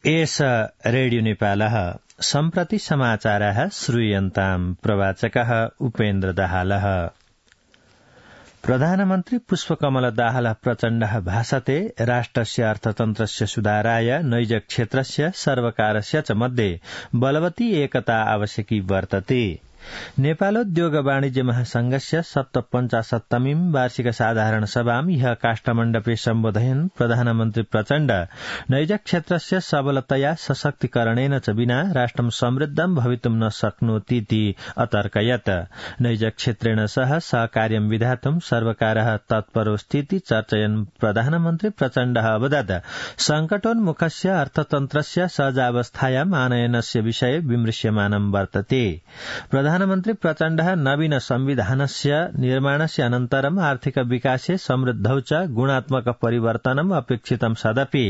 एष रेडियो नेपालः सम्प्रति समाचारः श्रूयन्ताम् प्रवाचकः उपेन्द्र दाहालः। प्रधानमन्त्री पुष्पकमल दाहाल प्रचण्डः भाषते राष्ट्रस्य अर्थतन्त्रस्य सुधाराय नैज क्षेत्रस्य सर्वकारस्य च मध्ये बलवती एकता आवश्यकी वर्तते। नेपालोद्योग वाणिज्य महासंघस्य 57वीं वार्षिक साधारण सभां ह्यः काष्ठमण्डपे सम्बोधयन् प्रधानमन्त्री प्रचण्ड नैज क्षेत्रस्य सबलतया सशक्तिकरणेन च विना राष्ट्रं समृद्धं भवितुं न शक्नोतीति अतर्कयत्। नैज क्षेत्रेण सह सहकार्यं विधातुं सर्वकारः तत्परोऽस्तीति चर्चयन् प्रधानमन्त्री प्रचण्डः अवदत् संकटोन्मुखस्य अर्थतन्त्रस्य सहजावस्थायाम् आनयनस्य विषये विमृश्यमानं वर्तते। प्रधानमन्त्री प्रचण्डः नवीन संविधानस्य निर्माणस्य अनन्तरम् आर्थिक विकासे समृद्धौ च गुणात्मक परिवर्तनम् अपेक्षितं सदपि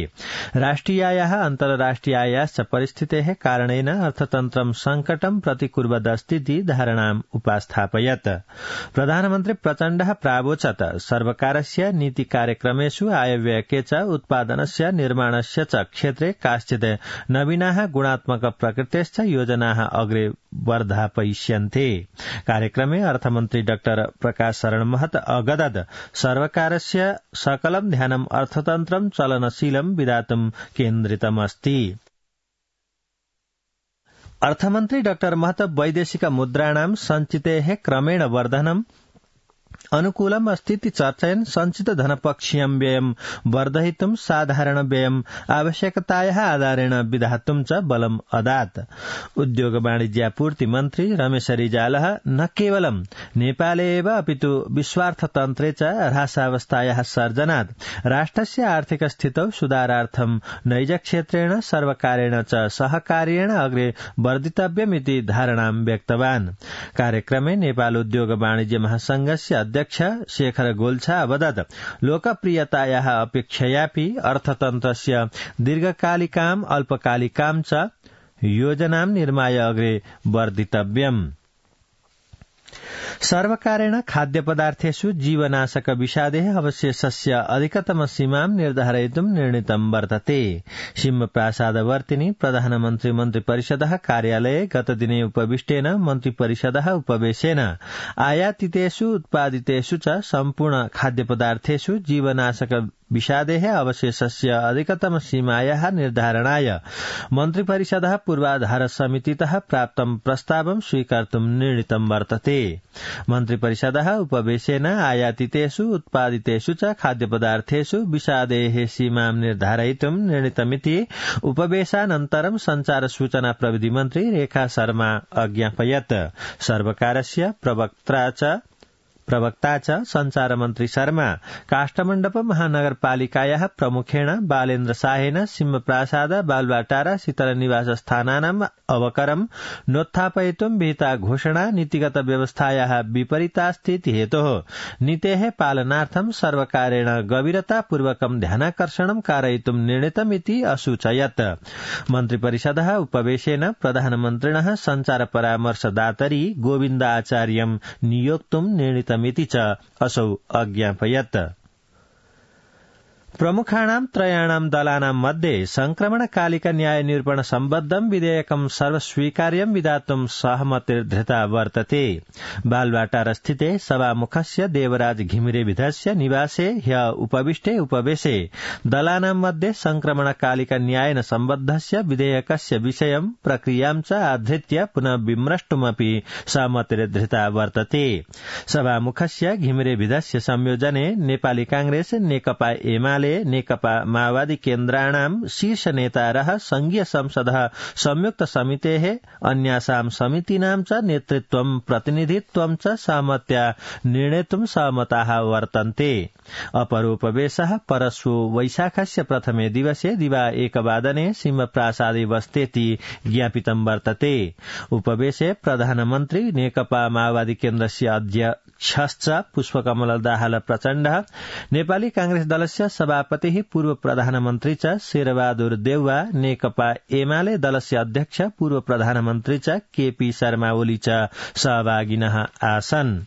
राष्ट्रियायाः अन्तर्राष्ट्रियायाश्च परिस्थितेः कारणेन अर्थतन्त्रं संकटं प्रतिकुर्वदस्तीति धारणाम् उपास्थापयत्। प्रधानमन्त्री प्रचण्डः प्रावोचत् सर्वकारस्य नीति कार्यक्रमेषु आयव्ययके च उत्पादनस्य निर्माणस्य च क्षेत्रे काश्चित् नवीनाः गुणात्मक प्रकृतेश्च योजनाः अग्रे वर्धापयिष्यन्ते। कार्यक्रमे अर्थमन्त्री डाक्टर प्रकाश शरण महत अगदत् सर्वकारस्य सकलं ध्यानम् अर्थतन्त्रं चलनशीलं विधातुं केन्द्रितमस्ति। अर्थमन्त्री डाक्टर महत वैदेशिक मुद्राणां सञ्चितेः क्रमेण वर्धनम् अनुकूलम् अस्तीति चर्चयन् संचित धनपक्षीयं व्ययं वर्धयितुं साधारण व्ययम् आवश्यकतायाः आधारेण विधातुं च बलम् अदात्। उद्योग वाणिज्यापूर्ति मन्त्री रमेश रिजालः न केवलं नेपाले एव अपितु विश्वार्थतन्त्रे च ह्रासावस्थायाः सर्जनात् राष्ट्रस्य आर्थिक स्थितौ सुधारार्थं नैज क्षेत्रेण सर्वकारेण च सहकार्येण अग्रे वर्धितव्यमिति धारणां व्यक्तवान्। कार्यक्रमे नेपाल उद्योग वाणिज्य महासंघस्य अध्यक्ष शेखर गोल्छा अवदत् लोकप्रियतायाः अपेक्षयापि अर्थतन्त्रस्य दीर्घकालिकाम् अल्पकालिकां च योजनां निर्माय अग्रे वर्धितव्यम्। सर्वकारेण खाद्यपदार्थेषु जीवनाशक विषादेः अवशेषस्य अधिकतम सीमां निर्धारयितुं निर्णीतं वर्तते। सिंहप्रासादवर्तिनि प्रधानमन्त्री मन्त्रिपरिषदः कार्यालये गतदिने उपविष्टेन मन्त्रिपरिषदः उपवेशेन आयातितेषु उत्पादितेषु च सम्पूर्ण खाद्यपदार्थेषु जीवनाशक विषादेः अवशेषस्य अधिकतम सीमायाः निर्धारणाय मन्त्रिपरिषदः पूर्वाधार समितितः प्राप्तं प्रस्तावं स्वीकर्तुं निर्णीतं वर्तते। मन्त्रिपरिषदः उपवेशेन आयातितेषु उत्पादितेषु च खाद्यपदार्थेषु विषादेः सीमां निर्धारयितुं निर्णीतमिति उपवेशानन्तरं संचार सूचना प्रविधि मन्त्री रेखा शर्मा अज्ञापयत्। सर्वकारस्य प्रवक्ता च संचार मन्त्री शर्मा काष्ठमण्डप महानगरपालिकायाः प्रमुखेण बालेन्द्र शाहेन सिंहप्रासाद बालुवाटारा शीतलनिवास स्थानानाम् अवकरं नोत्थापयितुं विहिता घोषणा नीतिगत व्यवस्थायाः विपरीतास्तीति हेतोः नीतेः पालनार्थं सर्वकारेण गभीरतापूर्वकं ध्यानाकर्षणं कारयितुं निर्णीतमिति असूचयत्। मन्त्रिपरिषदः उपवेशेन प्रधानमन्त्रिणः संचार परामर्शदातरि गोविन्द आचार्यं नियोक्तुं निर्णीतमिति च असौ अज्ञापयत्। प्रमुखाणां त्रयाणां दलानां मध्ये संक्रमणकालिक न्याय निरूपण सम्बद्धं विधेयकं सर्वस्वीकार्यं विधातुं सहमतिर्धृता वर्तते। बालुवाटार स्थिते सभामुखस्य देवराज घिमिरे विधस्य निवासे ह्यः उपविष्टे उपवेशे दलानां मध्ये संक्रमणकालिक न्यायेन सम्बद्धस्य विधेयकस्य विषयं प्रक्रियां च आधृत्य पुनः विमृष्टुमपि सहमतिर्धृता वर्तते। सभामुखस्य घिमिरे विधस्य संयोजने नेपाली कांग्रेस नेकपा एमाले नेकपा माओवादी केन्द्राणां शीर्ष नेतारः संघीय संसदः संयुक्त समितेः अन्यासां समितीनां च नेतृत्वं प्रतिनिधित्वं च सहमत्या निर्णेतुं सहमताः वर्तन्ते। अपरोपवेशः परश्वो वैशाखस्य प्रथमे दिवसे दिवा 1 सिंहप्रासादे बस्तेति ज्ञापितं वर्तते। उपवेशे प्रधानमन्त्री नेकपा माओवादी केन्द्रस्य अध्यक्षश्च पुष्पकमल दाहाल प्रचण्डः नेपाली कांग्रेस दलस्य सभापतिः पूर्व प्रधानमन्त्री च शेरबहादुर देउवा नेकपा एमाले दलस्य अध्यक्ष पूर्व प्रधानमन्त्री च केपी शर्मा ओली च सहभागिनः आसन्।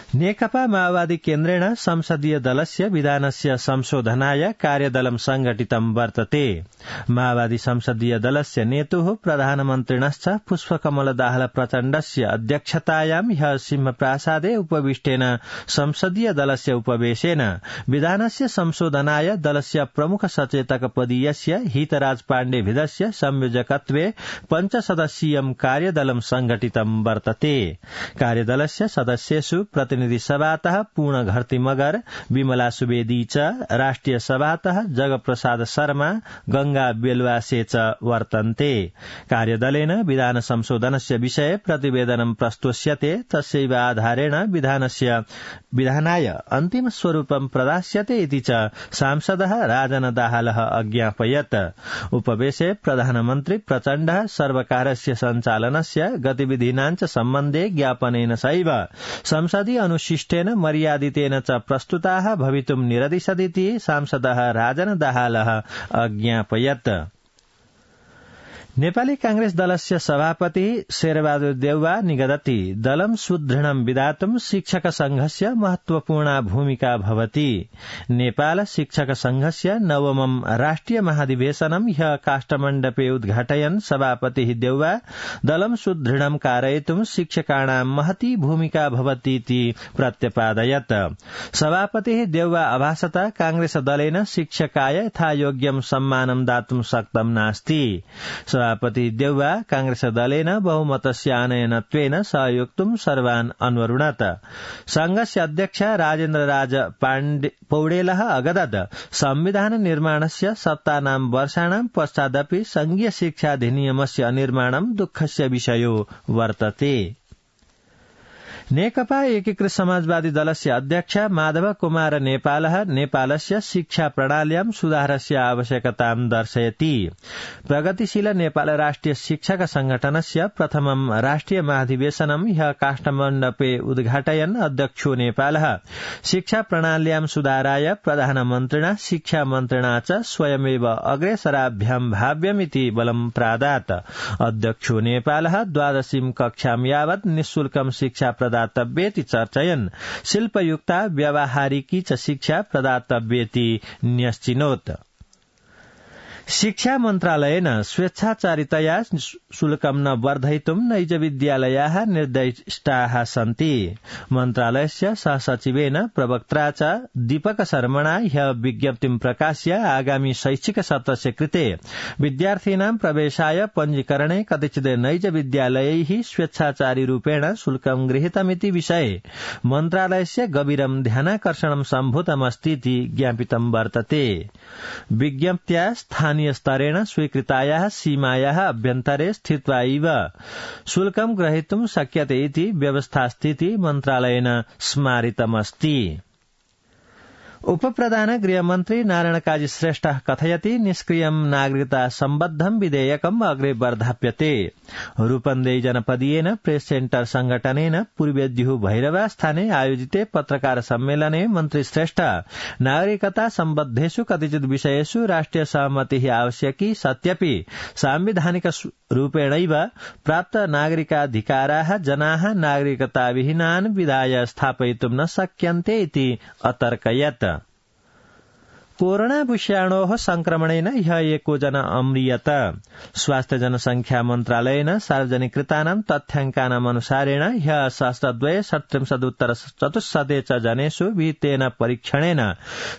नेकपा माओवादी केन्द्रेण संसदीय दलस्य विधानस्य संशोधनाय कार्यदलं संघटितं वर्तते। माओवादी संसदीय दलस्य नेतुः प्रधानमन्त्रिणश्च पुष्पकमलदाहाल प्रचण्डस्य अध्यक्षतायां ह्यः सिंहप्रासादे उपविष्टेन संसदीय दलस्य उपवेशेन विधानस्य संशोधनाय दलस्य प्रमुख सचेतक पदीयस्य हितराज पाण्डेभिदस्य संयोजकत्वे पञ्चसदस्यीयं कार्यदलं संघटितं वर्तते। कार्यदलस्य सदस्येषु प्रतिनिधि सभातः पूर्ण घरती मगर, विमला सुवेदी च, राष्ट्रिय सभातः जगप्रसाद शर्मा, गंगा बेलवासे च वर्तन्ते। कार्यदलेन विधान संशोधनस्य विषये प्रतिवेदनं प्रस्तुष्यते, तस्यैव आधारेण विधानाय अन्तिम स्वरूपं प्रदास्यते इति च सांसदः राजन दाहालः अज्ञापयत्। उपवेशे प्रधानमन्त्री प्रचण्डः सर्वकारस्य सञ्चालनस्य गतिविधीनां च सम्बन्धे ज्ञापनेन सैव संसदीय अनुशिष्टेन मर्यादितेन च प्रस्तुताः भवितुं निरदिशदिति सांसदः राजन दाहालः अज्ञापयत्। नेपाली कांग्रेस दलस्य सभापति शेरबहादुर देउवा निगदति दलं सुदृढं विधातुं शिक्षक संघस्य महत्वपूर्णा भूमिका भवति। नेपाल शिक्षक संघस्य नवमं राष्ट्रिय महाधिवेशनं ह्यः काष्ठमण्डपे उद्घाटयन् सभापतिः देउवा दलं सुदृढं कारयितुं शिक्षकाणां महती भूमिका भवतीति प्रत्यपादयत्। सभापतिः देउवा अभासत कांग्रेस दलेन शिक्षकाय यथायोग्यं सम्मानं दातुं शक्तं नास्ति। सभापति देउवा कांग्रेस दलेन बहुमतस्य आनयनत्वेन सहयोक्तुं सर्वान् अन्वरुणत। संघस्य अध्यक्ष राजेन्द्र राज पौडेलः अगदत् संविधान निर्माणस्य सप्तानां वर्षाणां पश्चादपि संघीय शिक्षाधिनियमस्य अनिर्माणं दुःखस्य विषयो वर्तते। नेकपा एकीकृत समाजवादी दलस्य अध्यक्ष माधव कुमार नेपालः नेपालस्य शिक्षा प्रणाल्यां सुधारस्य आवश्यकतां दर्शयति। प्रगतिशील नेपाल राष्ट्रिय शिक्षक संगठनस्य प्रथमं राष्ट्रिय महाधिवेशनं ह्यः काष्ठमण्डपे उद्घाटयन् अध्यक्षो नेपालः शिक्षा प्रणाल्यां सुधाराय प्रधानमन्त्रिणा शिक्षा मन्त्रिणा च स्वयमेव अग्रेसराभ्यां भाव्यमिति बलं प्रादात्। अध्यक्षो नेपालः 12वीं कक्षां यावत् निःशुल्कं शिक्षा प्रदातव्येति चर्चयन् शिल्पयुक्ता व्यावहारिकी च शिक्षा प्रदातव्येति न्यश्चिनोत्। शिक्षा मन्त्रालयेन स्वेच्छाचारितया शुल्कं न वर्धयितुं नैजविद्यालयाः निर्दिष्टाः सन्ति। मन्त्रालयस्य सहसचिवेन प्रवक्त्रा च दीपक शर्मणा ह्यः विज्ञप्तिं प्रकाश्य आगामी शैक्षिक सत्रस्य कृते विद्यार्थीनां प्रवेशाय पञ्जीकरणे कतिचित् नैजविद्यालयैः स्वेच्छाचारी रूपेण शुल्कं गृहीतमिति विषये मन्त्रालयस्य गभीरं ध्यानाकर्षणं सम्भूतमस्तीति ज्ञापितं वर्तते। विज्ञप्त्या स्थानीय स्तरेण स्वीकृतायाः सीमायाः अभ्यन्तरे स्थित्वा एव शुल्कं ग्रहीतुं शक्यते इति व्यवस्थास्थिति मन्त्रालयेन स्मारितमस्ति। उपप्रधान गृहमन्त्री नारायण काजी श्रेष्ठः कथयति निष्क्रियं नागरिकता सम्बद्धं विधेयकम् अग्रे वर्धाप्यते। रूपन्देही जनपदीयेन प्रेस सेन्टर संघटनेन पूर्वेद्युः भैरवा स्थाने आयोजिते पत्रकार सम्मेलने मन्त्री श्रेष्ठ नागरिकता सम्बद्धेषु कतिचित् विषयेषु राष्ट्रिय सहमतिः आवश्यकी सत्यपि सांविधानिक रूपेणैव प्राप्त नागरिकाधिकाराः जनाः नागरिकताविहीनान् विधाय स्थापयितुं न शक्यन्ते इति अतर्कयत्। कोरोना विषाणोः संक्रमणेन ह्यः 1 जना अम्रियत। स्वास्थ्य जनसंख्या मन्त्रालयेन सार्वजनिकृतानां तथ्याङ्कानाम् अनुसारेण ह्यः 37,37,400 च जनेषु विहितेन परीक्षणेन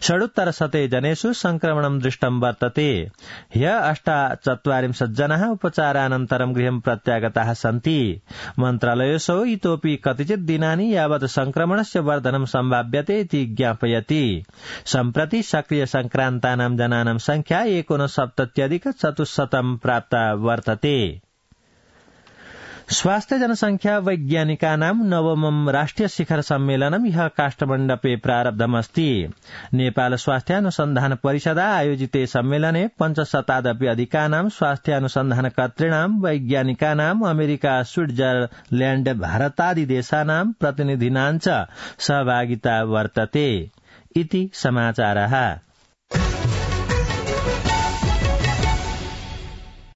37 जनेषु संक्रमणं दृष्टं वर्तते। ह्यः 48 जनाः उपचारानन्तरं गृहं प्रत्यागताः सन्ति। मन्त्रालयोऽसौ इतोपि कतिचित् दिनानि यावत् संक्रमणस्य वर्धनं सम्भाव्यते इति ज्ञापयति। सम्प्रति सक्रिय संक्रान्तानां जनानां संख्या 69,400 प्राप्ता वर्तते। स्वास्थ्य जनसंख्या वैज्ञानिकानां नवमं राष्ट्रिय शिखर सम्मेलनं ह्यः काष्ठमण्डपे प्रारब्धमस्ति। नेपाल स्वास्थ्यानुसन्धान परिषदा आयोजिते सम्मेलने 500 अधिकानां स्वास्थ्यानुसन्धानकर्तॄणां वैज्ञानिकानां अमेरिका, स्विट्जरलैण्ड, भारतादि देशानां प्रतिनिधीनां च सहभागिता वर्तते इति समाचारः।